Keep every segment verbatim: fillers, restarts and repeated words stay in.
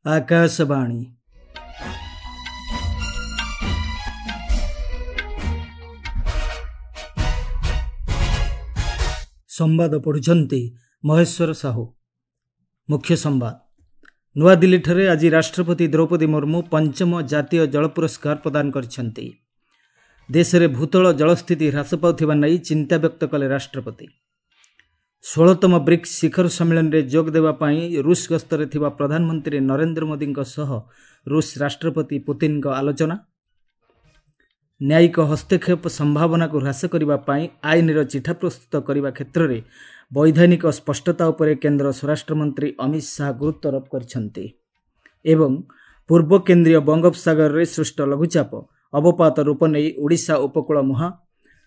ଆକାଶବାଣୀ। ସମ୍ବାଦ ପଢ଼ୁଛନ୍ତି ମହେଶ୍ୱର ସାହୁ। ମୁଖ୍ୟ ସମ୍ବାଦ। ନୂଆଦିଲ୍ଲୀଠାରେ ଆଜି ରାଷ୍ଟ୍ରପତି ଦ୍ରୌପଦୀ ମୁର୍ମୁ ପଞ୍ଚମ ଜାତୀୟ ଜଳ ପୁରସ୍କାର ପ୍ରଦାନ କରିଛନ୍ତି। ଦେଶରେ ଭୂତଳ ଜଳସ୍ଥିତି ହ୍ରାସ ପାଉଥିବା ନେଇ ଚିନ୍ତା ବ୍ୟକ୍ତ କଲେ ରାଷ୍ଟ୍ରପତି। ଷୋହଳତମ ବ୍ରିକ୍ସ ଶିଖର ସମ୍ମିଳନୀରେ ଯୋଗ ଦେବା ପାଇଁ ରୁଷ ଗସ୍ତରେ ଥିବା ପ୍ରଧାନମନ୍ତ୍ରୀ ନରେନ୍ଦ୍ର ମୋଦିଙ୍କ ସହ ରୁଷ ରାଷ୍ଟ୍ରପତି ପୁତିନଙ୍କ ଆଲୋଚନା। ନ୍ୟାୟିକ ହସ୍ତକ୍ଷେପ ସମ୍ଭାବନାକୁ ହ୍ରାସ କରିବା ପାଇଁ ଆଇନର ଚିଠା ପ୍ରସ୍ତୁତ କରିବା କ୍ଷେତ୍ରରେ ବୈଧାନିକ ସ୍ପଷ୍ଟତା ଉପରେ କେନ୍ଦ୍ର ସ୍ୱରାଷ୍ଟ୍ରମନ୍ତ୍ରୀ ଅମିତ ଶାହା ଗୁରୁତ୍ୱାରୋପ କରିଛନ୍ତି। ଏବଂ ପୂର୍ବ କେନ୍ଦ୍ରୀୟ ବଙ୍ଗୋପସାଗରରେ ସୃଷ୍ଟ ଲଘୁଚାପ ଅବପାତ ରୂପ ନେଇ ଓଡ଼ିଶା ଉପକୂଳ ମୁହାଁ।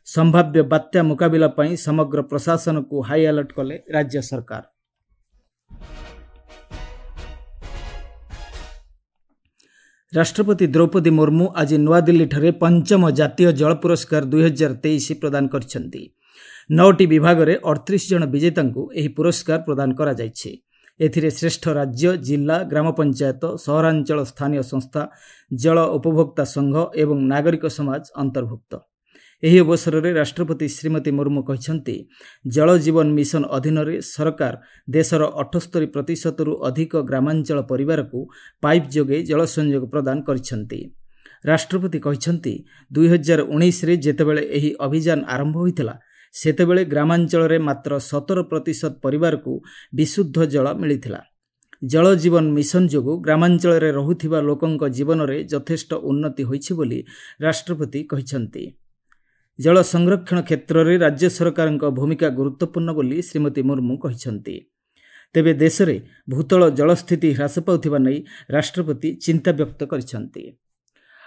ସମ୍ଭାବ୍ୟ ବାତ୍ୟା ମୁକାବିଲା ପାଇଁ ସମଗ୍ର ପ୍ରଶାସନକୁ ହାଇଆଲର୍ଟ କଲେ ରାଜ୍ୟ ସରକାର। ରାଷ୍ଟ୍ରପତି ଦ୍ରୌପଦୀ ମୁର୍ମୁ ଆଜି ନୂଆଦିଲ୍ଲୀଠାରେ ପଞ୍ଚମ ଜାତୀୟ ଜଳ ପୁରସ୍କାର ଦୁଇହଜାର ତେଇଶ ପ୍ରଦାନ କରିଛନ୍ତି। ନଅଟି ବିଭାଗରେ ଅଠତିରିଶ ଜଣ ବିଜେତାଙ୍କୁ ଏହି ପୁରସ୍କାର ପ୍ରଦାନ କରାଯାଇଛି। ଏଥିରେ ଶ୍ରେଷ୍ଠ ରାଜ୍ୟ, ଜିଲ୍ଲା, ଗ୍ରାମ ପଞ୍ଚାୟତ, ସହରାଞ୍ଚଳ ସ୍ଥାନୀୟ ସଂସ୍ଥା, ଜଳ ଉପଭୋକ୍ତା ସଂଘ ଏବଂ ନାଗରିକ ସମାଜ ଅନ୍ତର୍ଭୁକ୍ତ। ଏହି ଅବସରରେ ରାଷ୍ଟ୍ରପତି ଶ୍ରୀମତୀ ମୁର୍ମୁ କହିଛନ୍ତି, ଜଳ ଜୀବନ ମିଶନ ଅଧୀନରେ ସରକାର ଦେଶର ଅଠସ୍ତରୀ ପ୍ରତିଶତରୁ ଅଧିକ ଗ୍ରାମାଞ୍ଚଳ ପରିବାରକୁ ପାଇପ୍ ଯୋଗେ ଜଳ ସଂଯୋଗ ପ୍ରଦାନ କରିଛନ୍ତି। ରାଷ୍ଟ୍ରପତି କହିଛନ୍ତି, ଦୁଇହଜାର ଉଣେଇଶରେ ଯେତେବେଳେ ଏହି ଅଭିଯାନ ଆରମ୍ଭ ହୋଇଥିଲା, ସେତେବେଳେ ଗ୍ରାମାଞ୍ଚଳରେ ମାତ୍ର ସତର ପ୍ରତିଶତ ପରିବାରକୁ ବିଶୁଦ୍ଧ ଜଳ ମିଳିଥିଲା। ଜଳ ଜୀବନ ମିଶନ ଯୋଗୁଁ ଗ୍ରାମାଞ୍ଚଳରେ ରହୁଥିବା ଲୋକଙ୍କ ଜୀବନରେ ଯଥେଷ୍ଟ ଉନ୍ନତି ହୋଇଛି ବୋଲି ରାଷ୍ଟ୍ରପତି କହିଛନ୍ତି। ଜଳ ସଂରକ୍ଷଣ କ୍ଷେତ୍ରରେ ରାଜ୍ୟ ସରକାରଙ୍କ ଭୂମିକା ଗୁରୁତ୍ୱପୂର୍ଣ୍ଣ ବୋଲି ଶ୍ରୀମତୀ ମୁର୍ମୁ କହିଛନ୍ତି। ତେବେ ଦେଶରେ ଭୂତଳ ଜଳସ୍ଥିତି ହ୍ରାସ ପାଉଥିବା ନେଇ ରାଷ୍ଟ୍ରପତି ଚିନ୍ତା ବ୍ୟକ୍ତ କରିଛନ୍ତି।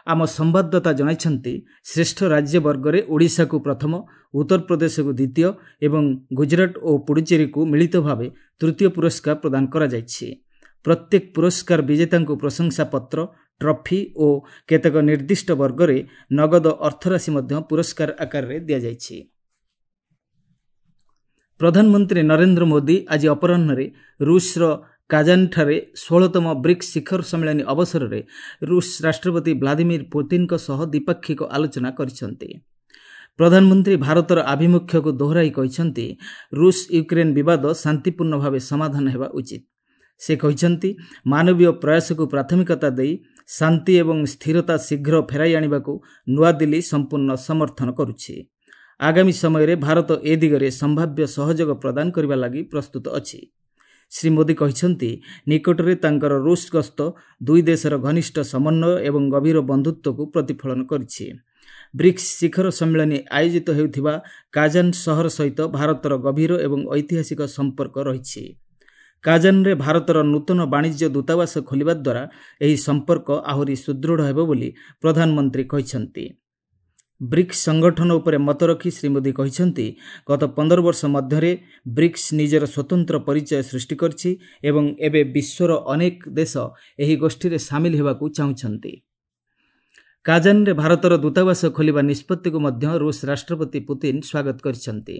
ଆମ ସମ୍ବାଦଦାତା ଜଣାଇଛନ୍ତି, ଶ୍ରେଷ୍ଠ ରାଜ୍ୟ ବର୍ଗରେ ଓଡ଼ିଶାକୁ ପ୍ରଥମ, ଉତ୍ତରପ୍ରଦେଶକୁ ଦ୍ୱିତୀୟ ଏବଂ ଗୁଜରାଟ ଓ ପୁଡୁଚେରୀକୁ ମିଳିତ ଭାବେ ତୃତୀୟ ପୁରସ୍କାର ପ୍ରଦାନ କରାଯାଇଛି। ପ୍ରତ୍ୟେକ ପୁରସ୍କାର ବିଜେତାଙ୍କୁ ପ୍ରଶଂସାପତ୍ର, ଟ୍ରଫି ଓ କେତେକ ନିର୍ଦ୍ଦିଷ୍ଟ ବର୍ଗରେ ନଗଦ ଅର୍ଥରାଶି ମଧ୍ୟ ପୁରସ୍କାର ଆକାରରେ ଦିଆଯାଇଛି। ପ୍ରଧାନମନ୍ତ୍ରୀ ନରେନ୍ଦ୍ର ମୋଦି ଆଜି ଅପରାହ୍ନରେ ରୁଷର କାଜାନଠାରେ ଷୋହଳତମ ବ୍ରିକ୍ସ ଶିଖର ସମ୍ମିଳନୀ ଅବସରରେ ରୁଷ ରାଷ୍ଟ୍ରପତି ଭ୍ଲାଦିମିର ପୁତିନଙ୍କ ସହ ଦ୍ୱିପାକ୍ଷିକ ଆଲୋଚନା କରିଛନ୍ତି। ପ୍ରଧାନମନ୍ତ୍ରୀ ଭାରତର ଆଭିମୁଖ୍ୟକୁ ଦୋହରାଇ କହିଛନ୍ତି, ରୁଷ ୟୁକ୍ରେନ୍ ବିବାଦ ଶାନ୍ତିପୂର୍ଣ୍ଣ ଭାବେ ସମାଧାନ ହେବା ଉଚିତ। ସେ କହିଛନ୍ତି, ମାନବୀୟ ପ୍ରୟାସକୁ ପ୍ରାଥମିକତା ଦେଇ ଶାନ୍ତି ଏବଂ ସ୍ଥିରତା ଶୀଘ୍ର ଫେରାଇ ଆଣିବାକୁ ନୂଆଦିଲ୍ଲୀ ସମ୍ପୂର୍ଣ୍ଣ ସମର୍ଥନ କରୁଛି। ଆଗାମୀ ସମୟରେ ଭାରତ ଏ ଦିଗରେ ସମ୍ଭାବ୍ୟ ସହଯୋଗ ପ୍ରଦାନ କରିବା ଲାଗି ପ୍ରସ୍ତୁତ ଅଛି। ଶ୍ରୀ ମୋଦି କହିଛନ୍ତି, ନିକଟରେ ତାଙ୍କର ରୁଷ ଗସ୍ତ ଦୁଇ ଦେଶର ଘନିଷ୍ଠ ସମନ୍ୱୟ ଏବଂ ଗଭୀର ବନ୍ଧୁତ୍ୱକୁ ପ୍ରତିଫଳନ କରିଛି। ବ୍ରିକ୍ସ ଶିଖର ସମ୍ମିଳନୀ ଆୟୋଜିତ ହେଉଥିବା କାଜାନ ସହର ସହିତ ଭାରତର ଗଭୀର ଏବଂ ଐତିହାସିକ ସମ୍ପର୍କ ରହିଛି। କାଜାନରେ ଭାରତର ନୂତନ ବାଣିଜ୍ୟ ଦୂତାବାସ ଖୋଲିବା ଦ୍ୱାରା ଏହି ସମ୍ପର୍କ ଆହୁରି ସୁଦୃଢ଼ ହେବ ବୋଲି ପ୍ରଧାନମନ୍ତ୍ରୀ କହିଛନ୍ତି। ବ୍ରିକ୍ସ ସଂଗଠନ ଉପରେ ମତ ରଖି ଶ୍ରୀ ମୋଦି କହିଛନ୍ତି, ଗତ ପନ୍ଦର ବର୍ଷ ମଧ୍ୟରେ ବ୍ରିକ୍ସ ନିଜର ସ୍ୱତନ୍ତ୍ର ପରିଚୟ ସୃଷ୍ଟି କରିଛି ଏବଂ ଏବେ ବିଶ୍ୱର ଅନେକ ଦେଶ ଏହି ଗୋଷ୍ଠୀରେ ସାମିଲ ହେବାକୁ ଚାହୁଁଛନ୍ତି। କାଜାନରେ ଭାରତର ଦୂତାବାସ ଖୋଲିବା ନିଷ୍ପତ୍ତିକୁ ମଧ୍ୟ ରୁଷ ରାଷ୍ଟ୍ରପତି ପୁତିନ ସ୍ୱାଗତ କରିଛନ୍ତି।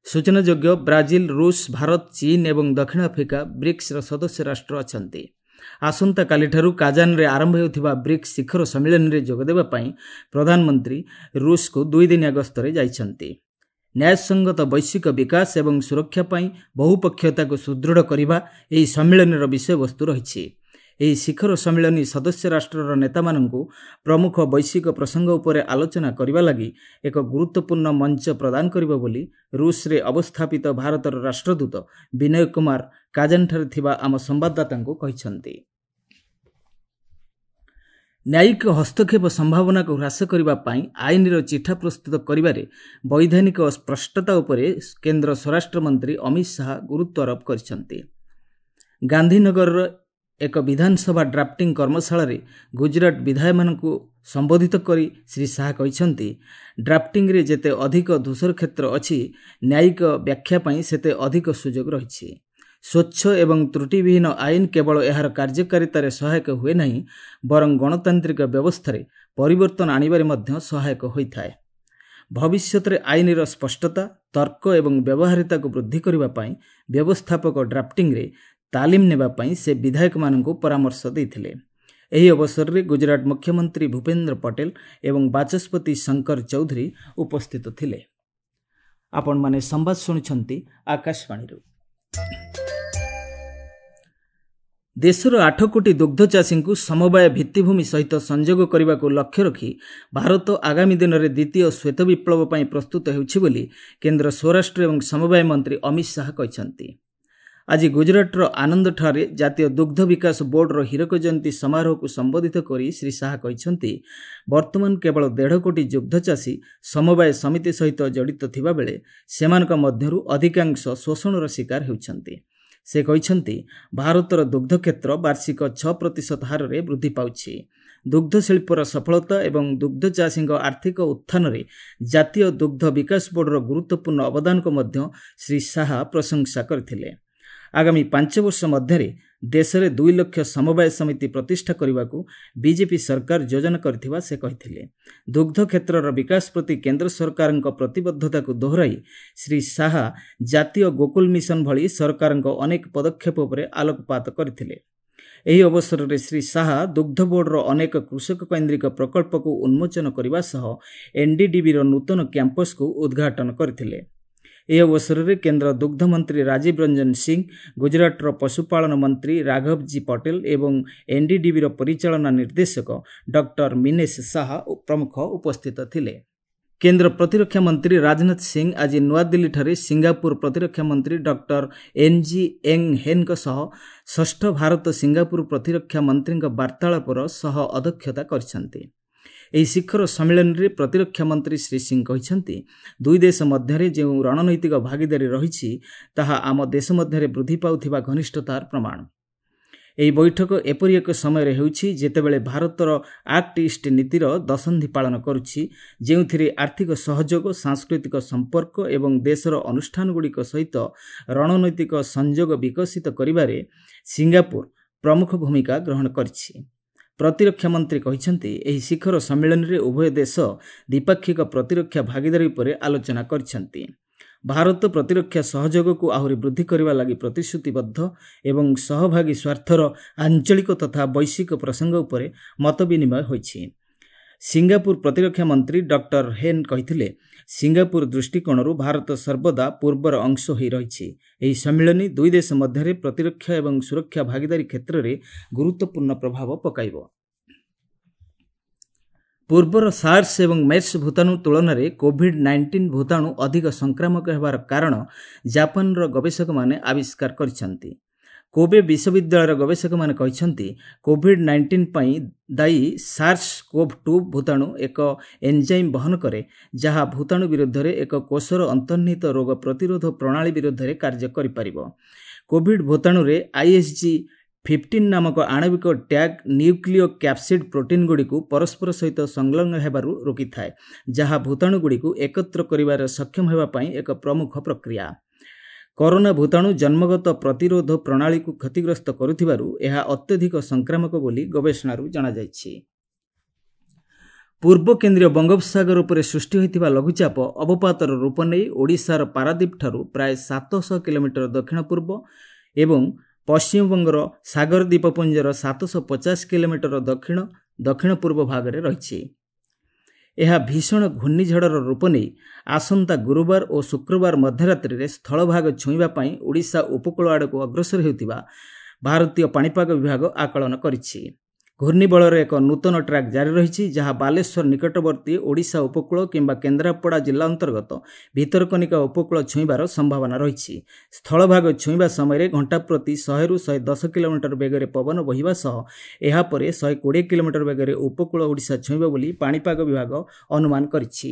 ସୂଚନାଯୋଗ୍ୟ, ବ୍ରାଜିଲ, ରୁଷ, ଭାରତ, ଚୀନ ଏବଂ ଦକ୍ଷିଣ ଆଫ୍ରିକା ବ୍ରିକ୍ସର ସଦସ୍ୟ ରାଷ୍ଟ୍ର ଅଛନ୍ତି। ଆସନ୍ତାକାଲିଠାରୁ କାଜାନରେ ଆରମ୍ଭ ହେଉଥିବା ବ୍ରିକ୍ସ ଶିଖର ସମ୍ମିଳନୀରେ ଯୋଗଦେବା ପାଇଁ ପ୍ରଧାନମନ୍ତ୍ରୀ ରୁଷକୁ ଦୁଇଦିନିଆ ଗସ୍ତରେ ଯାଇଛନ୍ତି। ନ୍ୟାୟସଙ୍ଗତ ବୈଶ୍ୱିକ ବିକାଶ ଏବଂ ସୁରକ୍ଷା ପାଇଁ ବହୁପକ୍ଷୀୟତାକୁ ସୁଦୃଢ଼ କରିବା ଏହି ସମ୍ମିଳନୀର ବିଷୟବସ୍ତୁ ରହିଛି। ଏହି ଶିଖର ସମ୍ମିଳନୀ ସଦସ୍ୟ ରାଷ୍ଟ୍ରର ନେତାମାନଙ୍କୁ ପ୍ରମୁଖ ବୈଶ୍ୱିକ ପ୍ରସଙ୍ଗ ଉପରେ ଆଲୋଚନା କରିବା ଲାଗି ଏକ ଗୁରୁତ୍ୱପୂର୍ଣ୍ଣ ମଞ୍ଚ ପ୍ରଦାନ କରିବ ବୋଲି ରୁଷରେ ଅବସ୍ଥାପିତ ଭାରତର ରାଷ୍ଟ୍ରଦୂତ ବିନୟ କୁମାର କାଜାନଠାରେ ଥିବା ଆମ ସମ୍ବାଦଦାତାଙ୍କୁ କହିଛନ୍ତି। ନ୍ୟାୟିକ ହସ୍ତକ୍ଷେପ ସମ୍ଭାବନାକୁ ହ୍ରାସ କରିବା ପାଇଁ ଆଇନର ଚିଠା ପ୍ରସ୍ତୁତ କରିବାରେ ବୈଧାନିକ ସ୍ପଷ୍ଟତା ଉପରେ କେନ୍ଦ୍ର ସ୍ୱରାଷ୍ଟ୍ରମନ୍ତ୍ରୀ ଅମିତ ଶାହା ଗୁରୁତ୍ୱାରୋପ କରିଛନ୍ତି। ଗାନ୍ଧୀନଗରର ଏକ ବିଧାନସଭା ଡ୍ରାଫ୍ଟିଂ କର୍ମଶାଳାରେ ଗୁଜରାଟ ବିଧାୟକମାନଙ୍କୁ ସମ୍ବୋଧିତ କରି ଶ୍ରୀ ଶାହା କହିଛନ୍ତି, ଡ୍ରାଫ୍ଟିଂରେ ଯେତେ ଅଧିକ ଧୂସର କ୍ଷେତ୍ର ଅଛି, ନ୍ୟାୟିକ ବ୍ୟାଖ୍ୟା ପାଇଁ ସେତେ ଅଧିକ ସୁଯୋଗ ରହିଛି। ସ୍ୱଚ୍ଛ ଏବଂ ତ୍ରୁଟିବିହୀନ ଆଇନ କେବଳ ଏହାର କାର୍ଯ୍ୟକାରିତାରେ ସହାୟକ ହୁଏ ନାହିଁ, ବରଂ ଗଣତାନ୍ତ୍ରିକ ବ୍ୟବସ୍ଥାରେ ପରିବର୍ତ୍ତନ ଆଣିବାରେ ମଧ୍ୟ ସହାୟକ ହୋଇଥାଏ। ଭବିଷ୍ୟତରେ ଆଇନର ସ୍ପଷ୍ଟତା, ତର୍କ ଏବଂ ବ୍ୟବହାରିତାକୁ ବୃଦ୍ଧି କରିବା ପାଇଁ ବ୍ୟବସ୍ଥାପକ ଡ୍ରାଫ୍ଟିଂରେ ତାଲିମ ନେବା ପାଇଁ ସେ ବିଧାୟକମାନଙ୍କୁ ପରାମର୍ଶ ଦେଇଥିଲେ। ଏହି ଅବସରରେ ଗୁଜରାଟ ମୁଖ୍ୟମନ୍ତ୍ରୀ ଭୂପେନ୍ଦ୍ର ପଟେଲ ଏବଂ ବାଚସ୍ପତି ଶଙ୍କର ଚୌଧୁରୀ ଉପସ୍ଥିତ ଥିଲେ। ଆପଣମାନେ ସମ୍ବାଦ ଶୁଣୁଛନ୍ତି ଆକାଶବାଣୀରୁ। ଦେଶର ଆଠ କୋଟି ଦୁଗ୍ଧ ଚାଷୀଙ୍କୁ ସମବାୟ ଭିତ୍ତିଭୂମି ସହିତ ସଂଯୋଗ କରିବାକୁ ଲକ୍ଷ୍ୟ ରଖି ଭାରତ ଆଗାମୀ ଦିନରେ ଦ୍ୱିତୀୟ ଶ୍ୱେତ ବିପ୍ଳବ ପାଇଁ ପ୍ରସ୍ତୁତ ହେଉଛି ବୋଲି କେନ୍ଦ୍ର ସ୍ୱରାଷ୍ଟ୍ର ଏବଂ ସମବାୟ ମନ୍ତ୍ରୀ ଅମିତ ଶାହା କହିଛନ୍ତି। ଆଜି ଗୁଜରାଟର ଆନନ୍ଦଠାରେ ଜାତୀୟ ଦୁଗ୍ଧ ବିକାଶ ବୋର୍ଡର ହୀରକ ଜୟନ୍ତୀ ସମାରୋହକୁ ସମ୍ବୋଧିତ କରି ଶ୍ରୀ ଶାହା କହିଛନ୍ତି, ବର୍ତ୍ତମାନ କେବଳ ଦେଢ଼ କୋଟି ଦୁଗ୍ଧ ଚାଷୀ ସମବାୟ ସମିତି ସହିତ ଜଡ଼ିତ ଥିବାବେଳେ ସେମାନଙ୍କ ମଧ୍ୟରୁ ଅଧିକାଂଶ ଶୋଷଣର ଶିକାର ହେଉଛନ୍ତି। ସେ କହିଛନ୍ତି, ଭାରତର ଦୁଗ୍ଧ କ୍ଷେତ୍ର ବାର୍ଷିକ ଛଅ ପ୍ରତିଶତ ହାରରେ ବୃଦ୍ଧି ପାଉଛି। ଦୁଗ୍ଧ ଶିଳ୍ପର ସଫଳତା ଏବଂ ଦୁଗ୍ଧ ଚାଷୀଙ୍କ ଆର୍ଥିକ ଉତ୍ଥାନରେ ଜାତୀୟ ଦୁଗ୍ଧ ବିକାଶ ବୋର୍ଡର ଗୁରୁତ୍ୱପୂର୍ଣ୍ଣ ଅବଦାନକୁ ମଧ୍ୟ ଶ୍ରୀ ଶାହା ପ୍ରଶଂସା କରିଥିଲେ। ଆଗାମୀ ପାଞ୍ଚ ବର୍ଷ ମଧ୍ୟରେ ଦେଶରେ ଦୁଇ ଲକ୍ଷ ସମବାୟ ସମିତି ପ୍ରତିଷ୍ଠା କରିବାକୁ ବିଜେପି ସରକାର ଯୋଜନା କରିଥିବା ସେ କହିଥିଲେ। ଦୁଗ୍ଧ କ୍ଷେତ୍ରର ବିକାଶ ପ୍ରତି କେନ୍ଦ୍ର ସରକାରଙ୍କ ପ୍ରତିବଦ୍ଧତାକୁ ଦୋହରାଇ ଶ୍ରୀ ଶାହା ଜାତୀୟ ଗୋକୁଲ ମିଶନ ଭଳି ସରକାରଙ୍କ ଅନେକ ପଦକ୍ଷେପ ଉପରେ ଆଲୋକପାତ କରିଥିଲେ। ଏହି ଅବସରରେ ଶ୍ରୀ ଶାହା ଦୁଗ୍ଧ ବୋର୍ଡର ଅନେକ କୃଷକ କୈନ୍ଦ୍ରିକ ପ୍ରକଳ୍ପକୁ ଉନ୍ମୋଚନ କରିବା ସହ ଏନ୍ଡିଡିବିର ନୂତନ କ୍ୟାମ୍ପସକୁ ଉଦ୍ଘାଟନ କରିଥିଲେ। ଏହି ଅବସରରେ କେନ୍ଦ୍ର ଦୁଗ୍ଧ ମନ୍ତ୍ରୀ ରାଜୀବ ରଞ୍ଜନ ସିଂ, ଗୁଜରାଟର ପଶୁପାଳନ ମନ୍ତ୍ରୀ ରାଘବଜୀ ପଟେଲ ଏବଂ ଏନ୍ଡିଡିବିର ପରିଚାଳନା ନିର୍ଦ୍ଦେଶକ ଡକ୍ଟର ମିନେଶ ଶାହା ପ୍ରମୁଖ ଉପସ୍ଥିତ ଥିଲେ। କେନ୍ଦ୍ର ପ୍ରତିରକ୍ଷା ମନ୍ତ୍ରୀ ରାଜନାଥ ସିଂ ଆଜି ନୂଆଦିଲ୍ଲୀଠାରେ ସିଙ୍ଗାପୁର ପ୍ରତିରକ୍ଷା ମନ୍ତ୍ରୀ ଡକ୍ଟର ଏନ୍ଜି ଏଙ୍ଗ ହେନ୍ଙ୍କ ସହ ଷଷ୍ଠ ଭାରତ ସିଙ୍ଗାପୁର ପ୍ରତିରକ୍ଷା ମନ୍ତ୍ରୀଙ୍କ ବାର୍ତ୍ତାଳାପର ସହ ଅଧ୍ୟକ୍ଷତା କରିଛନ୍ତି। ଏହି ଶିଖର ସମ୍ମିଳନୀରେ ପ୍ରତିରକ୍ଷା ମନ୍ତ୍ରୀ ଶ୍ରୀ ସିଂ କହିଛନ୍ତି, ଦୁଇ ଦେଶ ମଧ୍ୟରେ ଯେଉଁ ରଣନୈତିକ ଭାଗିଦାରୀ ରହିଛି ତାହା ଆମ ଦେଶ ମଧ୍ୟରେ ବୃଦ୍ଧି ପାଉଥିବା ଘନିଷ୍ଠତାର ପ୍ରମାଣ। ଏହି ବୈଠକ ଏପରି ଏକ ସମୟରେ ହେଉଛି ଯେତେବେଳେ ଭାରତର ଆକ୍ଟ ଇଷ୍ଟ ନୀତିର ଦଶନ୍ଧି ପାଳନ କରୁଛି, ଯେଉଁଥିରେ ଆର୍ଥିକ ସହଯୋଗ, ସାଂସ୍କୃତିକ ସମ୍ପର୍କ ଏବଂ ଦେଶର ଅନୁଷ୍ଠାନଗୁଡ଼ିକ ସହିତ ରଣନୈତିକ ସଂଯୋଗ ବିକଶିତ କରିବାରେ ସିଙ୍ଗାପୁର ପ୍ରମୁଖ ଭୂମିକା ଗ୍ରହଣ କରିଛି। ପ୍ରତିରକ୍ଷା ମନ୍ତ୍ରୀ କହିଛନ୍ତି, ଏହି ଶିଖର ସମ୍ମିଳନୀରେ ଉଭୟ ଦେଶ ଦ୍ୱିପାକ୍ଷିକ ପ୍ରତିରକ୍ଷା ଭାଗିଦାରୀ ଉପରେ ଆଲୋଚନା କରିଛନ୍ତି। ଭାରତ ପ୍ରତିରକ୍ଷା ସହଯୋଗକୁ ଆହୁରି ବୃଦ୍ଧି କରିବା ଲାଗି ପ୍ରତିଶ୍ରୁତିବଦ୍ଧ ଏବଂ ସହଭାଗୀ ସ୍ୱାର୍ଥର ଆଞ୍ଚଳିକ ତଥା ବୈଶ୍ୱିକ ପ୍ରସଙ୍ଗ ଉପରେ ମତ ବିନିମୟ ହୋଇଛି। ସିଙ୍ଗାପୁର ପ୍ରତିରକ୍ଷା ମନ୍ତ୍ରୀ ଡକ୍ଟର ହେନ୍ କହିଥିଲେ, ସିଙ୍ଗାପୁର ଦୃଷ୍ଟିକୋଣରୁ ଭାରତ ସର୍ବଦା ପୂର୍ବର ଅଂଶ ହୋଇ ରହିଛି। ଏହି ସମ୍ମିଳନୀ ଦୁଇ ଦେଶ ମଧ୍ୟରେ ପ୍ରତିରକ୍ଷା ଏବଂ ସୁରକ୍ଷା ଭାଗିଦାରୀ କ୍ଷେତ୍ରରେ ଗୁରୁତ୍ୱପୂର୍ଣ୍ଣ ପ୍ରଭାବ ପକାଇବ। ପୂର୍ବର ସାର୍ସ ଏବଂ ମେର୍ସ ଭୂତାଣୁ ତୁଳନାରେ କୋଭିଡ୍ ନାଇଣ୍ଟିନ୍ ଭୂତାଣୁ ଅଧିକ ସଂକ୍ରାମକ ହେବାର କାରଣ ଜାପାନର ଗବେଷକମାନେ ଆବିଷ୍କାର କରିଛନ୍ତି। କୋବେ ବିଶ୍ୱବିଦ୍ୟାଳୟର ଗବେଷକମାନେ କହିଛନ୍ତି, କୋଭିଡ୍ ନାଇଣ୍ଟିନ୍ ପାଇଁ ଦାୟୀ ସାର୍ସ କୋଭ୍ ଟୁ ଭୂତାଣୁ ଏକ ଏନ୍ଜାଇମ୍ ବହନ କରେ, ଯାହା ଭୂତାଣୁ ବିରୁଦ୍ଧରେ ଏକ କୋଷର ଅନ୍ତର୍ନିହିତ ରୋଗ ପ୍ରତିରୋଧ ପ୍ରଣାଳୀ ବିରୁଦ୍ଧରେ କାର୍ଯ୍ୟ କରିପାରିବ। କୋଭିଡ୍ ଭୂତାଣୁରେ ଆଇଏସ୍ଜି ଫିଫ୍ଟିନ୍ ନାମକ ଆଣବିକ ଟ୍ୟାଗ୍ ନ୍ୟୁକ୍ଲିଓ କ୍ୟାପ୍ସିଡ୍ ପ୍ରୋଟିନ୍ଗୁଡ଼ିକୁ ପରସ୍ପର ସହିତ ସଂଲଗ୍ନ ହେବାରୁ ରୋକିଥାଏ, ଯାହା ଭୂତାଣୁଗୁଡ଼ିକୁ ଏକତ୍ର କରିବାରେ ସକ୍ଷମ ହେବା ପାଇଁ ଏକ ପ୍ରମୁଖ ପ୍ରକ୍ରିୟା। କରୋନା ଭୂତାଣୁ ଜନ୍ମଗତ ପ୍ରତିରୋଧ ପ୍ରଣାଳୀକୁ କ୍ଷତିଗ୍ରସ୍ତ କରୁଥିବାରୁ ଏହା ଅତ୍ୟଧିକ ସଂକ୍ରାମକ ବୋଲି ଗବେଷଣାରୁ ଜଣାଯାଇଛି। ପୂର୍ବ କେନ୍ଦ୍ରୀୟ ବଙ୍ଗୋପସାଗର ଉପରେ ସୃଷ୍ଟି ହୋଇଥିବା ଲଘୁଚାପ ଅବପାତର ରୂପ ନେଇ ଓଡ଼ିଶାର ପାରାଦୀପଠାରୁ ପ୍ରାୟ ସାତଶହ କିଲୋମିଟର ଦକ୍ଷିଣ ପୂର୍ବ ଏବଂ ପଶ୍ଚିମବଙ୍ଗର ସାଗର ଦ୍ୱୀପପୁଞ୍ଜର ସାତଶହ ପଚାଶ କିଲୋମିଟର ଦକ୍ଷିଣ ଦକ୍ଷିଣ ପୂର୍ବ ଭାଗରେ ରହିଛି। ଏହା ଭୀଷଣ ଘୂର୍ଣ୍ଣିଝଡ଼ର ରୂପ ନେଇ ଆସନ୍ତା ଗୁରୁବାର ଓ ଶୁକ୍ରବାର ମଧ୍ୟରାତ୍ରିରେ ସ୍ଥଳଭାଗ ଛୁଇଁବା ପାଇଁ ଓଡ଼ିଶା ଉପକୂଳ ଆଡ଼କୁ ଅଗ୍ରସର ହେଉଥିବା ଭାରତୀୟ ପାଣିପାଗ ବିଭାଗ ଆକଳନ କରିଛି। ଘୂର୍ଣ୍ଣିବଳର ଏକ ନୂତନ ଟ୍ରାକ୍ ଜାରି ରହିଛି, ଯାହା ବାଲେଶ୍ୱର ନିକଟବର୍ତ୍ତୀ ଓଡ଼ିଶା ଉପକୂଳ କିମ୍ବା କେନ୍ଦ୍ରାପଡ଼ା ଜିଲ୍ଲା ଅନ୍ତର୍ଗତ ଭିତରକନିକା ଉପକୂଳ ଛୁଇଁବାର ସମ୍ଭାବନା ରହିଛି। ସ୍ଥଳଭାଗ ଛୁଇଁବା ସମୟରେ ଘଣ୍ଟା ପ୍ରତି ଶହେରୁ ଶହେ ଦଶ କିଲୋମିଟର ବେଗରେ ପବନ ବହିବା ସହ ଏହାପରେ ଶହେ କୋଡ଼ିଏ କିଲୋମିଟର ବେଗରେ ଉପକୂଳ ଓଡ଼ିଶା ଛୁଇଁବ ବୋଲି ପାଣିପାଗ ବିଭାଗ ଅନୁମାନ କରିଛି।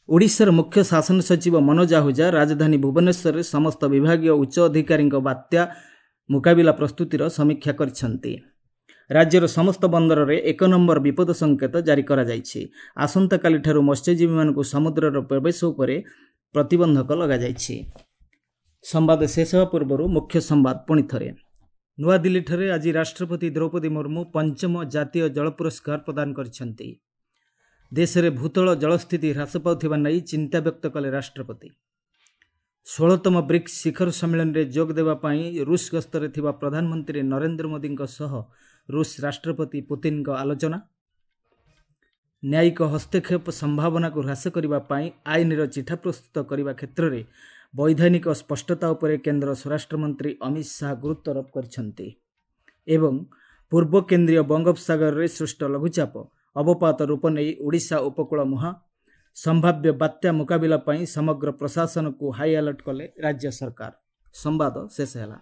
ଓଡ଼ିଶାର ମୁଖ୍ୟ ଶାସନ ସଚିବ ମନୋଜ ଆହୁଜା ରାଜଧାନୀ ଭୁବନେଶ୍ୱରରେ ସମସ୍ତ ବିଭାଗୀୟ ଉଚ୍ଚ ଅଧିକାରୀଙ୍କ ବାତ୍ୟା ମୁକାବିଲା ପ୍ରସ୍ତୁତିର ସମୀକ୍ଷା କରିଛନ୍ତି। ରାଜ୍ୟର ସମସ୍ତ ବନ୍ଦରରେ ଏକ ନମ୍ବର ବିପଦ ସଂକେତ ଜାରି କରାଯାଇଛି। ଆସନ୍ତାକାଲିଠାରୁ ମତ୍ସ୍ୟଜୀବୀମାନଙ୍କୁ ସମୁଦ୍ରର ପ୍ରବେଶ ଉପରେ ପ୍ରତିବନ୍ଧକ ଲଗାଯାଇଛି। ସମ୍ବାଦ ଶେଷ ହେବା ପୂର୍ବରୁ ମୁଖ୍ୟ ସମ୍ବାଦ ପୁଣି ଥରେ। ନୂଆଦିଲ୍ଲୀଠାରେ ଆଜି ରାଷ୍ଟ୍ରପତି ଦ୍ରୌପଦୀ ମୁର୍ମୁ ପଞ୍ଚମ ଜାତୀୟ ଜଳ ପୁରସ୍କାର ପ୍ରଦାନ କରିଛନ୍ତି। ଦେଶରେ ଭୂତଳ ଜଳସ୍ଥିତି ହ୍ରାସ ପାଉଥିବା ନେଇ ଚିନ୍ତା ବ୍ୟକ୍ତ କଲେ ରାଷ୍ଟ୍ରପତି। ଷୋହଳତମ ବ୍ରିକ୍ସ ଶିଖର ସମ୍ମିଳନୀରେ ଯୋଗ ଦେବା ପାଇଁ ରୁଷ ଗସ୍ତରେ ଥିବା ପ୍ରଧାନମନ୍ତ୍ରୀ ନରେନ୍ଦ୍ର ମୋଦିଙ୍କ ସହ ରୁଷ ରାଷ୍ଟ୍ରପତି ପୁତିନଙ୍କ ଆଲୋଚନା। ନ୍ୟାୟିକ ହସ୍ତକ୍ଷେପ ସମ୍ଭାବନାକୁ ହ୍ରାସ କରିବା ପାଇଁ ଆଇନର ଚିଠା ପ୍ରସ୍ତୁତ କରିବା କ୍ଷେତ୍ରରେ ବୈଧାନିକ ସ୍ପଷ୍ଟତା ଉପରେ କେନ୍ଦ୍ର ସ୍ୱରାଷ୍ଟ୍ରମନ୍ତ୍ରୀ ଅମିତ ଶାହା ଗୁରୁତ୍ୱାରୋପ କରିଛନ୍ତି। ଏବଂ ପୂର୍ବ କେନ୍ଦ୍ରୀୟ ବଙ୍ଗୋପସାଗରରେ ସୃଷ୍ଟ ଲଘୁଚାପ ଅବପାତ ରୂପ ନେଇ ଓଡ଼ିଶା ଉପକୂଳ ମୁହାଁ। ସମ୍ଭାବ୍ୟ ବାତ୍ୟା ମୁକାବିଲା ପାଇଁ ସମଗ୍ର ପ୍ରଶାସନକୁ ହାଇଆଲର୍ଟ କଲେ ରାଜ୍ୟ ସରକାର। ସମ୍ବାଦ ଶେଷ ହେଲା।